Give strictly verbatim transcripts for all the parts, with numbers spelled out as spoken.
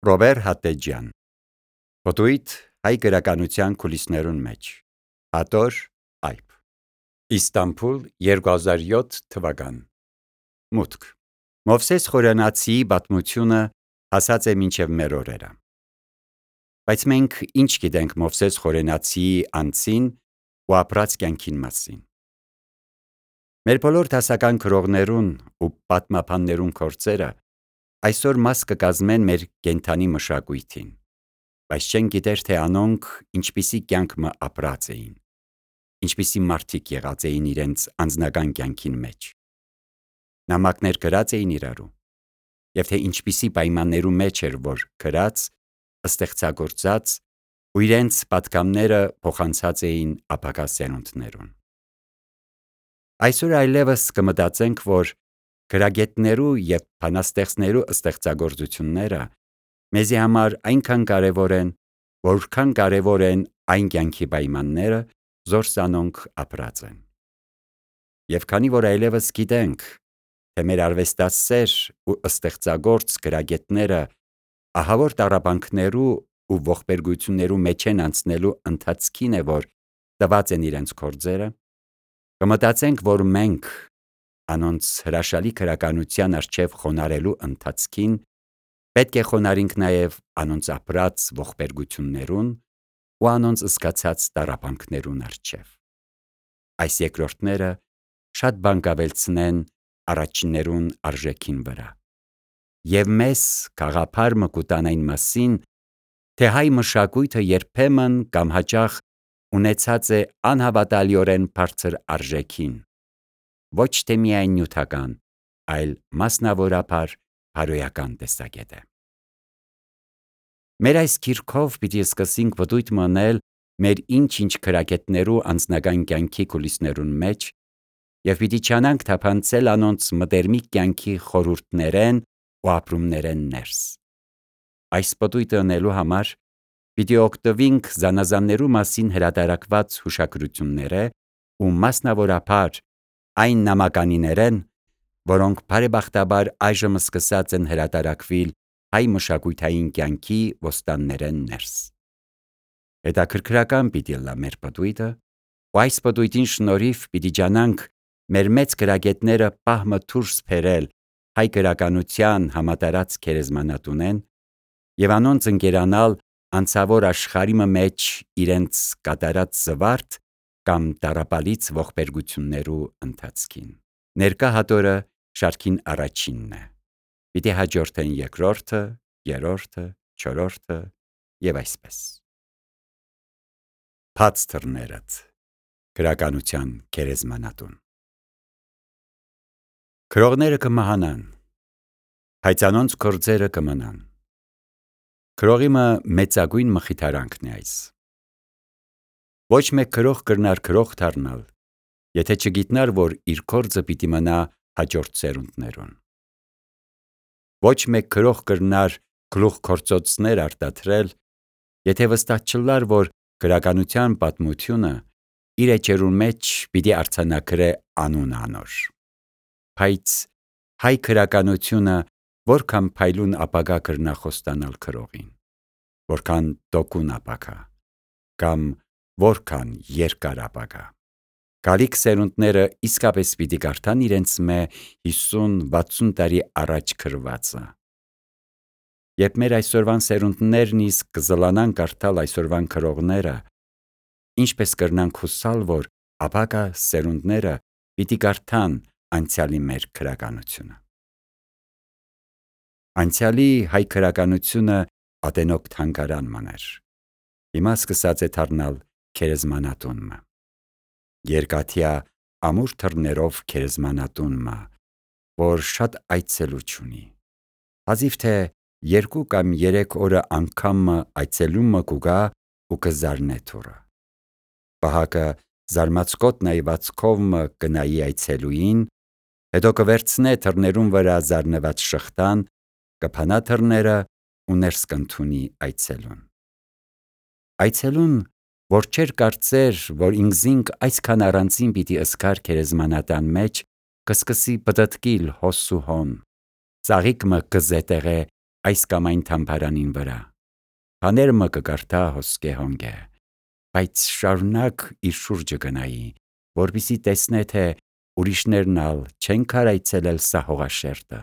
Ռոբեր Հատտեջյան Պտույտ հայ գրականության կուլիսներուն մեջ Հատոր այբ Իստանբուլ երկու հազար յոթ թվական Մուտք Մովսես Խորենացիի պատմությունը հասած է մինչև մեր օրերը։ Բայց մենք ինչ գիտենք Մովսես Խորենացիի անձին ու ապրած կյանքին մասին։ Մեր բոլոր դասական գրողներուն ու պատմաբաններուն գործերը այսօր մաս կկազմեն մեր կենդանի մշակույթին, բայց չեն գիտեր, թե անոնք ինչպիսի կյանք մը ապրած էին, ինչպիսի մարդիկ եղած էին իրենց անձնական կյանքին մեջ, նամակներ գրած էին իրարու, և թե ինչպիսի պայմաններու մեջ էր, որ գրած, ստեղծագործած ու իրենց պատգամները փոխանցած էին ապագա սերունդներուն։ Այսօր այլևս կմտածենք, որ գրագետներու և բանաստեղծներու ստեղծագործությունները մեզի համար այնքան կարևոր են, որքան կարևոր են այն կյանքի պայմանները, որ անոնք ապրած են։ Եվ քանի որ այլևս գիտենք, թե մեր արվեստասեր ու ստեղծագործ գրագետները ահավոր տառապանքներու ու ողբերգություններու մեջ են անցնելու ընթացքին է, որ տված են իրենց գործերը, կմտածենք, որ մենք անոնց հրաշալի գրականության առջև խոնարհելու ընթացքին պետք է խոնարհենք նաև անոնց ապրած ողբերգություններուն ու անոնց զգացած տառապանքներուն առջև։ Այս երկրորդները շատ բան կավելցնեն առաջիններուն արժեքին վրա և մեզ գաղափար մը կուտան այն մասին, թե հայ մշակույթը երբեմն կամ հաճախ ունեցած է անհավատալիորեն բարձր արժեքին, ոչ թե միայն նյութական, այլ մասնավորապես բարոյական տեսակետը։ Մեր այս գիրքով պիտի սկսենք պտույտ մնել մեր ինչ-ինչ գրագետներու անձնական կյանքի կուլիսներուն մեջ և պիտի չանանք թափանցել անոնց մտերմիկ կյանքի խորհուրդներեն ու ապրումներեն ներս։ Այս պտույտը ընելու համար պիտի օգտվենք զանազաններու մասին հրատարակված հուշագրությունները ու մասնավորապես այն նամականիներեն, որոնք բարեբախտաբար այժմ սկսած են հրատարակվել հայ մշակութային կյանքի ոստաններեն ներս։ Հետաքրքրական պիտի լա մեր պտույտը, ու այս պտույտին շնորհիվ պիտի ջանանք մեր մեծ գրագետները պահմը դուրս բերել հայ գրականության համատարած գերեզմանատունեն և անոնց ընկերանալ անցավոր աշխարհի մեջ իրենց կատարած զվարթ կամ տառապալից ողբերգություններու ընթացքին։ Ներկա հատորը շարքին առաջինն է, պիտի հաջորդեն երկրորդը, երրորդը, չորրորդը և այսպես։ Բաց դռներդ գրականության գերեզմանատուն Գրողները կմահանան, բայց անոնց գործերը կմնան։ Գրողի մը մեծագույն մխիթարանքն է այս։ Ոչ մեկ գրող կրնար գրող դառնալ, եթե չգիտնար, որ իր գործը պիտի մնա հաջորդ սերունդներուն։ Ոչ մեկ գրող կրնար գլուխգործոցներ արտադրել, եթե վստահ չլար, որ գրականության պատմությունը իր էջերուն մեջ պիտի արձանագրե անուն անոր։ Բայց հայ գրականությունը որքան փայլուն ապագա կրնա խոստանալ գրողին, որքան տոկուն ապագա, կամ որքան երկար ապագա։ Գալիք սերունդները իսկապես պիտի կարդան իրենց մե հիսուն-վաթսուն տարի առաջ գրվածը։ Երբ մեր այսօրվան սերունդներն իսկ կզլանան կարդալ այսօրվան գրողները, ինչպես կրնանք հուսալ, որ ապագա սերունդները պիտի կարդան անցյալի մեր գրականությունը։ Անցյալի հայ գրականությունը ատենոք թանգարան մըն էր, հիմա սկսած է դառնալ գերեզմանատուն մը։ Երկաթյա ամուր դռներով գերեզմանատուն մը, որ շատ այցելու չունի, հազիվ թե երկու կամ երեք օրը անգամ մը այցելումը կուգա ու կզարնե դուռը։ Պահակը զարմացկոտ նայվածքով մը կնայի այցելուին, հետո կվերցնե դռներուն վրա զարնված շղթան, կփանա դռները ու ներս կընդունի այցելուն։ Այցելուն, որ չէր կարծեր, որ ինքզինք այսքան առանձին պիտի ըսկար գերեզմանատան մեջ, կսկսի պտտկիլ հոս ու հոն, ծաղիկ մը կզետեղե այս կամ այն թամբարանին վրա, բաներ մը կկարդա հոսկե հոնգե, բայց շարունակ իր շուրջը գնայի, որպեսզի տեսնե թե ուրիշներն ալ չեն քարայցելել սա հողաշերտը,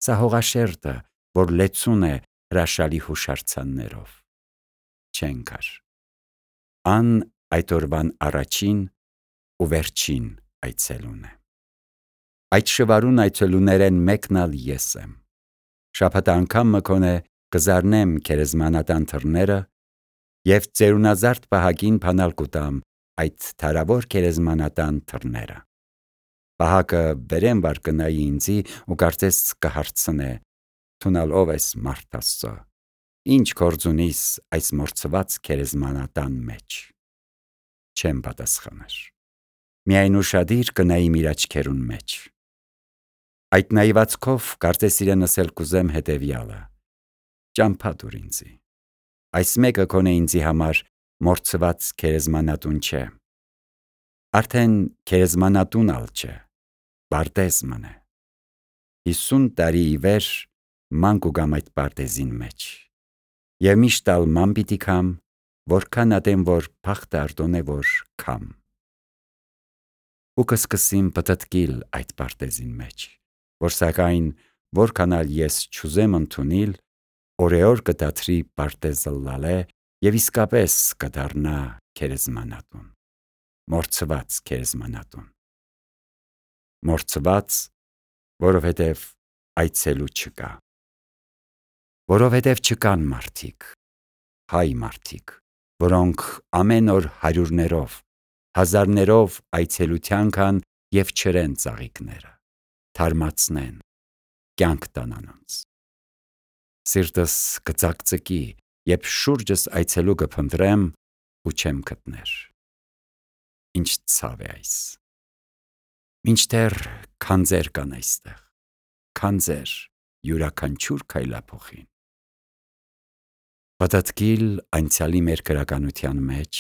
սա հողաշերտը, որ լեցուն է հրաշալի հուշարձաններով, չեն կար։ Ան այդ օրվան առաջին ու վերջին այցելուն է։ Այդ շվարուն այցելուներեն մեկն ալ ես եմ։ Շաբաթ անգամ մը կոնե կզարնեմ քերեզմանատան թռները և ծերունազարդ պահակին փանալ կուտամ այդ թարավոր քերեզմանատան թռները։ Պահակը վերեմ վար կնայի ինձի ու կարծես կհարցնե. «Թունալ ով ես մարդ Աստծո, ինչ գործ ունիս այս մորցված քերեզմանատան մեջ»։ Չեմ պատասխանար։ Միայն ուշադիր կնայիմ իր աչքերուն մեջ։ Այդ նայվածքով կարծես իրենս էլ կուզեմ հետևյալը. ճամփա տուր ինձի։ Այս մեկը կոնե ինձի համար մորցված քերեզմանատուն չէ։ Արդեն քերեզմանատուն ալ չէ, բարտեզմն է։ Հիսուն տարի ի վեր ման կուգամ այդ բարտեզին մեջ։ Եվ միշտ ալ ման պիտի քամ, որքան ատեմ որ փախտը արտոն է որ քամ։ Ու կսկսիմ պտտկիլ այդ բարտեզին մեջ, որ սակայն որքան ալ ես չուզեմ ընդունիլ, օրեօր կդադրի բարտեզը լալե և իսկապես կդառնա քերեզմանատուն, մորցված քերեզմանատուն։ Մորցված, որովհետև այցելու չկա։ Որովհետև չկան մարդիկ, հայ մարդիկ, որոնք ամեն օր հարյուրներով, հազարներով այցելության կան և չրեն ծաղիկները, թարմացնեն, կյանք տան անոնց։ Սիրտս կծակծկի, երբ շուրջս այցելու կփնտրեմ ու չեմ գտներ։ Ինչ ցավ է այս։ Մինչդեռ քանձեր կան այստեղ, քանձեր յուրաքանչյուր քայլափոխին։ Պտտկիլ անցյալի մեր գրականության մեջ,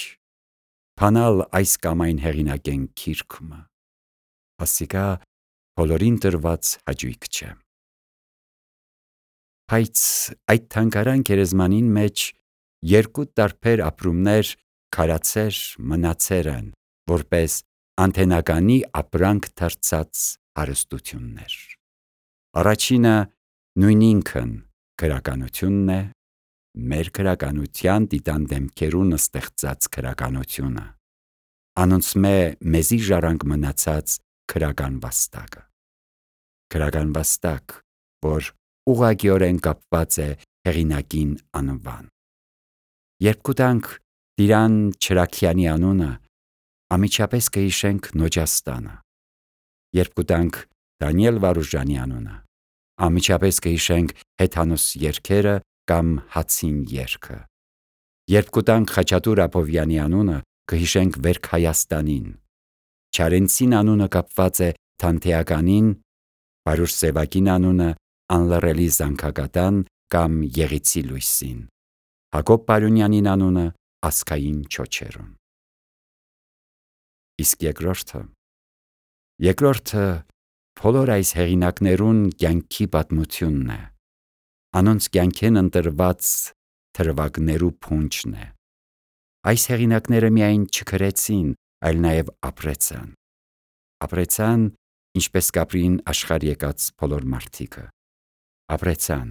փանալ այս կամ այն հեղինակեն քիրքումը, ասիկա բոլորին տրված հաճույք չէ։ Բայց այդ թանկարան քերեզմանին մեջ երկու տարբեր ապրումներ քարացեր մնացեր են, որպես անթենականի ապրանք դարձած հարստություններ։ Առաջինը նույն ինքն գրականությունն է, մեր գրականության տիտան դեմքերուն ստեղծած գրականությունը, անոնցմե մեզի ժառանգ մնացած գրական վաստակը։ Գրական վաստակ, որ ուղղակիորեն կապված է հեղինակին անվան։ Երբ կուտանք Տիրան Չրաքյանի անունը, ամիջապես կհիշենք Նոջաստանը։ Երբ կուտանք Դանիել Վարուժանի անունը, ամիջապես կհիշենք հեթանոս երգերը կամ հացին երգը։ Երբ կուտանք Խաչատուր Աբովյանի անունը, կհիշենք Վերք Հայաստանին։ Չարենցին անունը կապված է Թանթեականին, Վարուժ Սևակին անունը անլռելի զանգակատան կամ Եղիցի լույսին, Հակոբ Պարունյանին անունը ասկային չոչերուն։ Իսկ երկրորդը, երկրորդը բոլոր այս հեղինակներուն կյանքի պատմությունն է, անոնց կյանքեն ընտրված թրվագներու փունջն է։ Այս հեղինակները միայն չգրեցին, այլ նաև ապրեցան։ Ապրեցան, ինչպես կապրին աշխարհ եկած բոլոր մարդիկը։ Ապրեցան,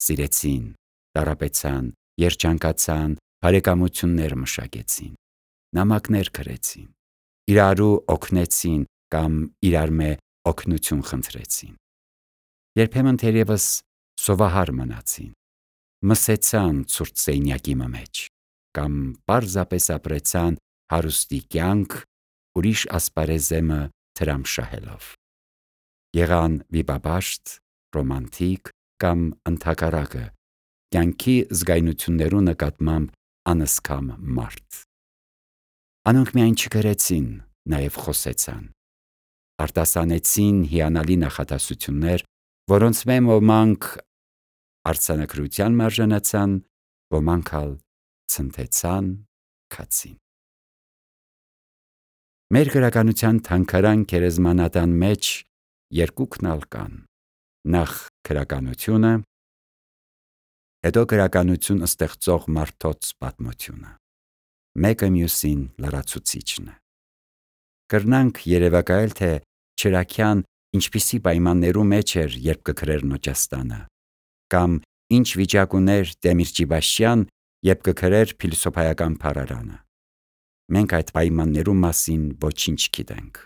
սիրեցին, տառապեցան, երջանկացան, բարեկամություններ մշակեցին, նամակներ գրեցին, իրարու օգնեցին կամ իրարմե օգնություն խնդրեցին։ Երբեմն թերևս սովահար մնացին, մսեցան ցուրտ սենյակի մեջ կամ պարզապես ապրեցան հարուստի կյանք, ուրիշ ասպարեզեմը թրամշահելով։ Եղան վիպաբաշտ, ռոմանտիկ կամ ընդհակառակը, կյանքի զգայունություններու նկատմամբ անըսքամ մարդ։ Անոնք միայն չգրեցին, նաև խոսեցան։ Արտասանեցին հիանալի նախադասություններ, որոնց մե ոմանք արձանագրության մարժանացան, ոմանք ալ ցնցեցան, քացին։ Մեր գրականության թանկարան քերեզմանատան մեջ երկուքն ալ կան. նախ գրականությունը հետո գրականություն ստեղծող մարդոց պատմությունը։ Մեկը մյուսին լրացուցիչն է։ Կրնանք երևակայել, թե Չրաքյան ինչպիսի պայմաններու մեջ էր, երբ կգրեր Նոճաստանը, կամ ինչ վիճակ ուներ Դեմիրճիբաշյան, երբ կգրեր փիլիսոփայական փառարանը։ Մենք այդ պայմաններու մասին ոչինչ գիտենք։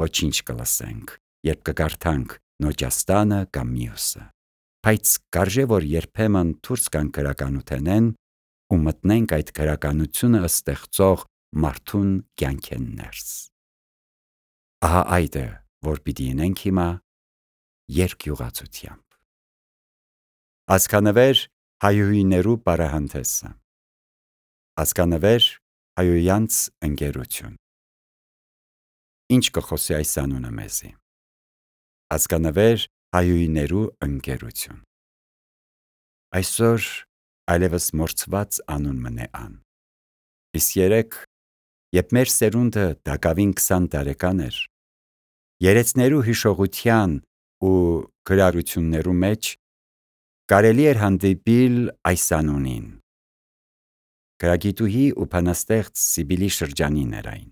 Ոչինչ կլսենք, երբ կկարդանք Նոճաստանը կամ մյուսը։ Բայց կարժե որ երբեմն դուրս գանք գրականութենեն ու մտնենք այդ գրականությունը ստեղծող մարդուն կյանքեն ներս։ Ահա այդ է, որ պիտի ինենք հիմա երկյուղացությամբ։ Ազգանվեր հայուհիներու պարահանդեսը։ Ազգանվեր հայոյանց ընկերություն։ Ինչ կխոսի այս անունը մեզի։ Ազգանվեր հայուհիներու ընկերություն։ Այսօր այլևս մորցված անուն մնե ան։ Իսկ երեք, երբ մեր սերունդը դակավին քսան տարեկան էր, երեցներու հիշողության ու գրարություններու մեջ կարելի էր հանդիպիլ այս անունին։ Գրագիտուհի ու բանաստեղծ Սիբիլի շրջանին էր այն։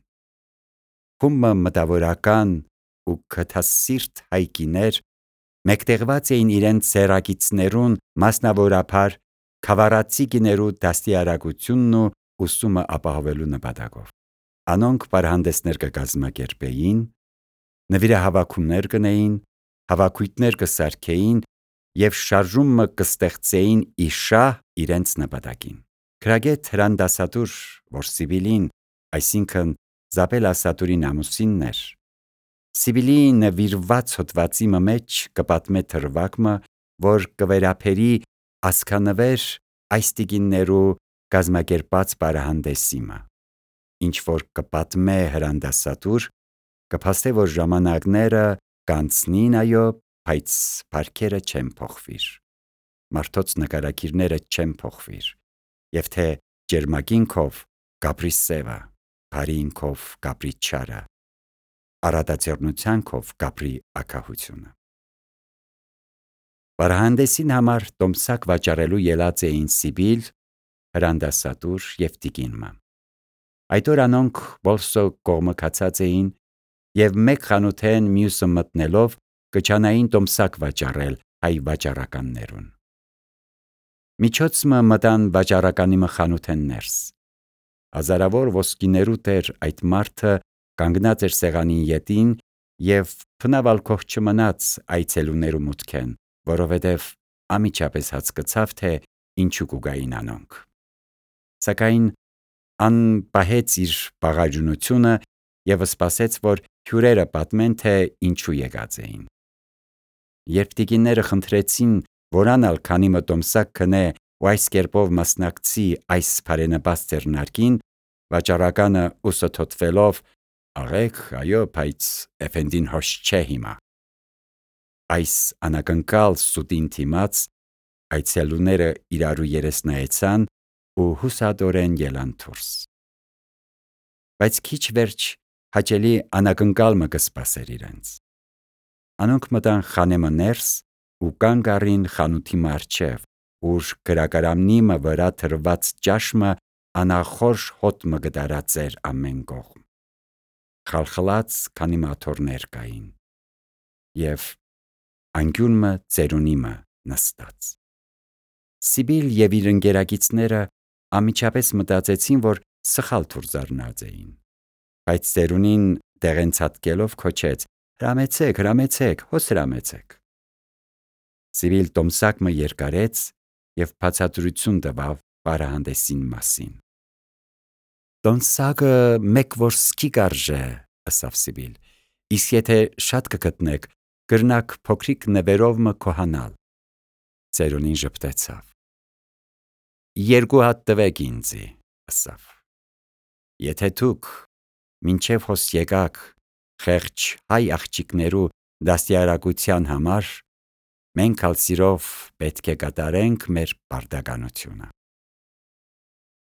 Խումբը մտավորական ու քթասիրտ հայկիներ մեկտեղված էին իրենց սերագիցներուն, մասնավորապես քավառացի գիներու դաստիարակությունն ու ուսումը ապահովելու նպատակով։ Անոնք պարահանդեսներ կկազմակերպեին, նվիրահավաքումներ կնեին, հավաքույթներ կսարքեին և շարժումը կստեղծեին իշահ իրենց նպատակին։ Գրագետ Հրանդասատուր, որ Սիբիլին, այսինքն Զաբել Ասատուրին ամուսինն էր, Սիբիլի նվիրված հոդվածի մեջ կպատմե թրվակը, որ կվերապերի ազգանվեր այս տիկիններու կազմակերպած պարահանդեսիմը, ինչ որ կպատմե Հրանդասատուր, կփաստե, որ ժամանակները կանցնին, այո, բայց բարքերը չեն փոխվիր, մարդոց նկարագիրները չեն փոխվիր, և թե ջերմագինքով կապրի սևը, բարինքով կապրի չարը, առատաձեռնությանքով կապրի ակահությունը։ Պարահանդեսին համար տոմսակ վաճառելու ելած էին Սիբիլ, Հրանդասատուր և տիկինը։ Այդ օր անոնք բոլսո կողմը կացած էին և մեկ խանութեն մյուսը մտնելով կչանային տոմսակ վաճառել հայ վաճառականներուն։ Միջոցը մտան վաճառականիմը խանութեն ներս։ Հազարավոր ոսկիներու տեր այդ մարդը կանգնած էր սեղանին ետին և փնավալ քող չմնաց այցելուներու մուտքեն, որովհետև անմիջապես հասկացավ, թե ինչու կուգային անոնք։ Սակայն ան պահեց իր բաղաջունությունը և սպասեց, որ հյուրերը պատմեն, թե ինչու եկած էին։ Երբ տիկինները խնդրեցին, որ անալ քանի մտոմսակ քնե ու այս կերպով մասնակցի այս բարենպաստ ձեռնարկին, վաճառականը ուսը թոթվելով «Աղեք, այո, բայց էֆենդին հոշ չէ հիմա»։ Այս անակնկալ սուտին դիմաց այցելուները իրարու երես նայեցան ու հուսադորեն ելան դուրս։ Բայց քիչ վերջ հաճելի անակնկալը կսպասեր իրենց։ Անոնք մտան խանեմը ներս ու կանգ առին խանութի առջև, ուր գրակարամնիմը վրա թրված ճաշմը անախորժ հոտ մը գդարած էր ամեն կողմ։ Խալխլած քանի մաթոռներ կային և անկյունը ծերունիմը նստած։ Սիբիլ և իր ընկերակիցները անմիջապես մտածեցին, որ սխալ թուրձառնած էին, բայց ծերունին դեղենցատկելով քոչեց. «Հրամեցեք, հրամեցեք, հոս հրամեցեք»։ Սիբիլ տոմսակը երկարեց և բացատրություն տվավ պարահանդեսին մասին։ «Տոմսակը մեկ որսկի կարժե», ըսավ Սիբիլ, «իսկ եթե շատ կգտնեք, կրնաք փոքրիկ նվերով մը քոհանալ»։ Ծերունին ժպտեցավ։ «Երկու հատ տվեք ինձի», ըսավ։ «Եթե դուք մինչև հոս եկաք խեղճ հայ աղջիկներու դաստիարակության համար, մենք ալ սիրով պետք է կատարենք մեր պարտականությունը»։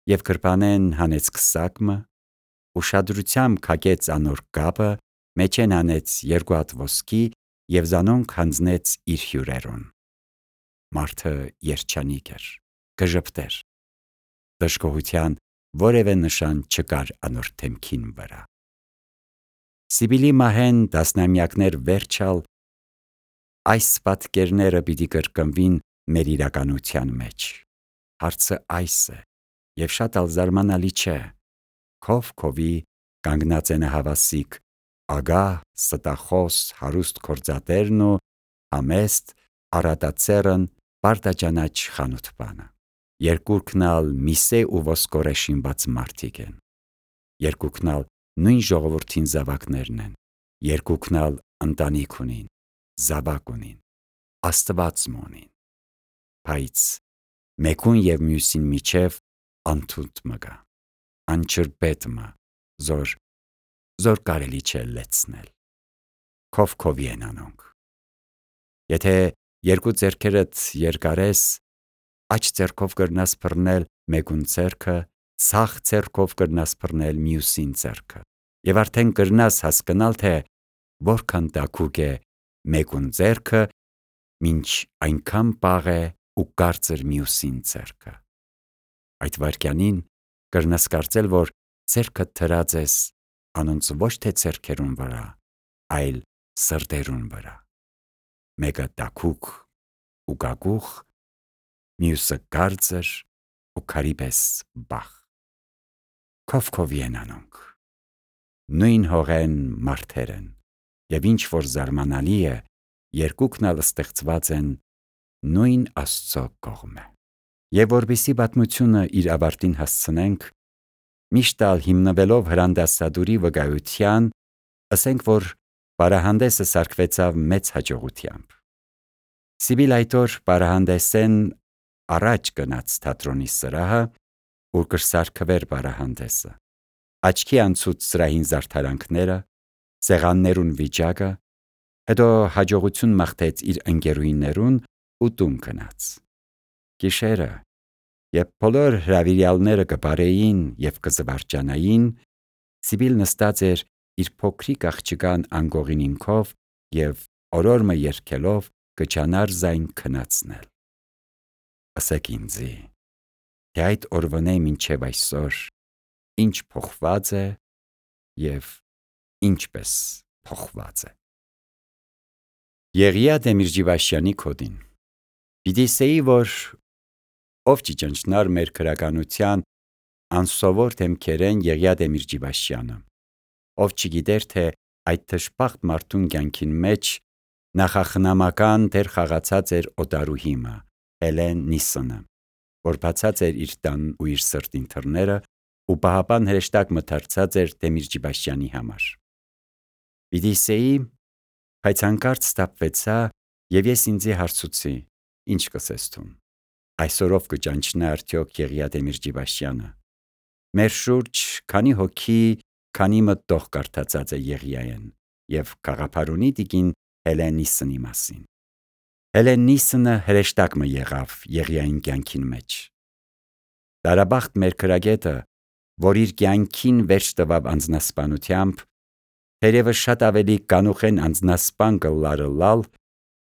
Եվ գրպանեն հանեց քսակը, ուշադրությամբ քակեց անոր կապը, մեջեն հանեց երկու հատ ոսկի և զանոնք հանձնեց իր հյուրերուն։ Մարդը երջանիկ էր, կժպտեր։ Դժգոհության որևէ նշան չկար անոր դեմքին վրա։ Սիբիլի մահեն տասնամյակներ վերջալ այս պատկերները պիտի կրկնվին մեր իրականության մեջ։ Հարցը այս է, եւ շատ ալ զարմանալի չէ։ Քով քովի կանգնած են հավասիկ ագահ, ստախոս, հարուստ գործատերն ու համեստ առատացերն պարտաճանաչ խանութպանը։ Երկուրքն ալ միսե ու ոսկորե շինված մարդիկ են։ Երկուքն ալ նույն ժողովրդին զավակներն են։ Երկուքն ալ ընտանիք ունին, զավակ ունին, Աստված ունին։ Բայց մեկուն եւ մյուսին միջև անթունդ մը կա, անջրպետ մը, զոր զոր կարելի չէ լեցնել։ Քով քովի են անոնք։ Եթե երկու ձեռքերդ երկարես, աջ ձեռքով կրնաս բռնել մեկուն ձեռքը, ցախ ձեռքով կրնաս բռնել մյուսին ձեռքը։ Եվ արդեն կրնաս հասկանալ, թե որքան տաքուկ է մեկուն ձեռքը, մինչ այնքան պաղ է ու կարծր մյուսին ձեռքը։ Այդ վայրկյանին կրնաս կարծել, որ ձեռքդ դրած ես անոնց ոչ թե ձեռքերուն վրա, այլ սրտերուն վրա։ Մեկը տաքուկ ու գագուխ, մյուսը կարծր ու քարի պես բախ։ Քով քովի են անոնք։ Նույն հողեն մարդեր են, եւ ինչ որ զարմանալի է, երկուքն ալ ստեղծված են նույն Աստծո կողմէ։ Եվ որպեսզի պատմությունը իր ավարտին հասցնենք, միշտ ալ հիմնվելով հրանդասադուրի վկայության, ասենք, որ պարահանդեսը սարքվեցավ մեծ հաջողությամբ։ Սիբիլ այդ օր պարահանդեսեն առաջ գնաց թատրոնի սրահը, ուր կրսարքվեր պարահանդեսը։ Աչքի անցուց սրահին զարդարանքները, սեղաններուն վիճակը, հետո հաջողություն մաղթեց իր ընկերուհիներուն ու տուն գնաց։ Գիշերը, երբ բոլոր հրավիրյալները կբարեին եւ կզվարճանային, Սիբիլ նստած էր իր փոքրիկ աղջկան անգողինինքով եւ օրորմը երգելով կճանար զայն քնացնել։ Ասեք ինձի, թե այդ օրվանե մինչև այսօր ինչ փոխված է եւ ինչպես փոխված է։ Եղիա Դեմիրճիվաշյանի կոդին։ Պիտի սեի, որ ով չճնչնար մեր քրականության անսովոր դեմքերեն Եղիա Դեմիրճիվաշյանը, ով չգիտեր, թե այդ թշպախտ մարդուն կյանքին մեջ նախախնամական դեր խաղացած էր օտարուհիմը, Հելեն Նիսոնը, որ բացած էր իր տան ու իր սրտին թռները ու պահապան հրեշտակ մթարցած էր Դեմիրճիվաշյանի համար։ Պիտի սեի, բայց հանկարծ ստապվեցա եւ ես ինձի հարցուցի. ինչ կսես թուն։ Այսօրով կճանչնա արդյոք Եղիա Դեմիրճիվաշյանը։ Մեր շուրջ քանի հոգի, քանի մտող կարդացած է Եղիային եւ գաղափարունի տիկին Հելեն Նիսոնի մասին։ Հելեն Նիսոնը հրեշտակ մը եղավ Եղիային կյանքին մեջ։ Տարաբախտ մեր քրագետը, որ իր կյանքին վերջ տվավ անձնասպանությամբ, թերևս շատ ավելի կանուխեն անձնասպան կլարը լալ,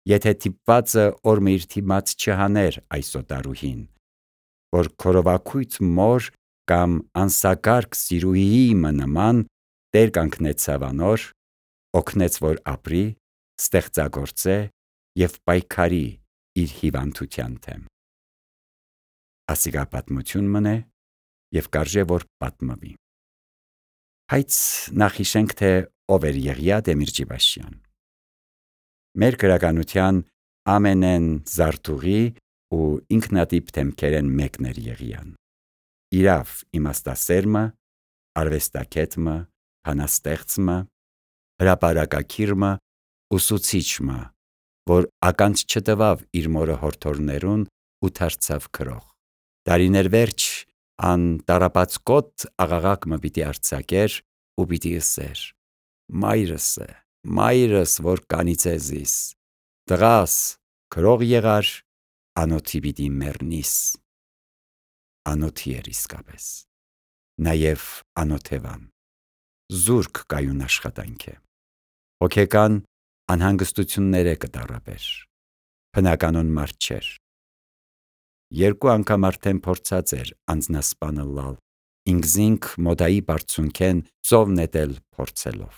եթե թիպվածը օրմը իր թիմած չհաներ այս օտարուհին, որ քորովակույց մոր կամ անսակարգ սիրուհիի մը նման տեր կանգնեցավ անոր, օգնեց, որ ապրի, ստեղծագործե եւ պայքարի իր հիվանդության դեմ։ Ասիկա պատմություն մնե եւ կարժե որ պատմվի։ Բայց նախ հիշենք, թե ով էր Եղիա Դեմիրճիվաշյան։ Մեր քրականության ամենեն զարթուղի ու ինքնատիպ դեմքերեն մեկն էր Եղիան։ Իրավ իմաստասերմը, արվեստագետմը, բանաստեղծմը, հրապարակակիրմը, ուսուցիչմը, որ ականջ չտվավ իր մորը հորթորներուն ու դարձավ քրող։ Տարիներ վերջ ան տարապացկոտ աղաղակ մը պիտի արձակեր ու պիտի ըսեր. մայրս է, մայրս, որ կանիցեզիս, տղաս, քրող եղար, անոթի պիտի մեռնիս։ Անոթի էր իսկապես, նաև անոթևան, զուրկ կայուն աշխատանք է, հոգեկան անհանգստություններ է կտարապեր, բնականոն մարդ չէր, երկու անգամ արդեն փորձած էր անձնասպանը լալ, ինքզինք մոդայի բարձունքեն ծով նետել փորձելով։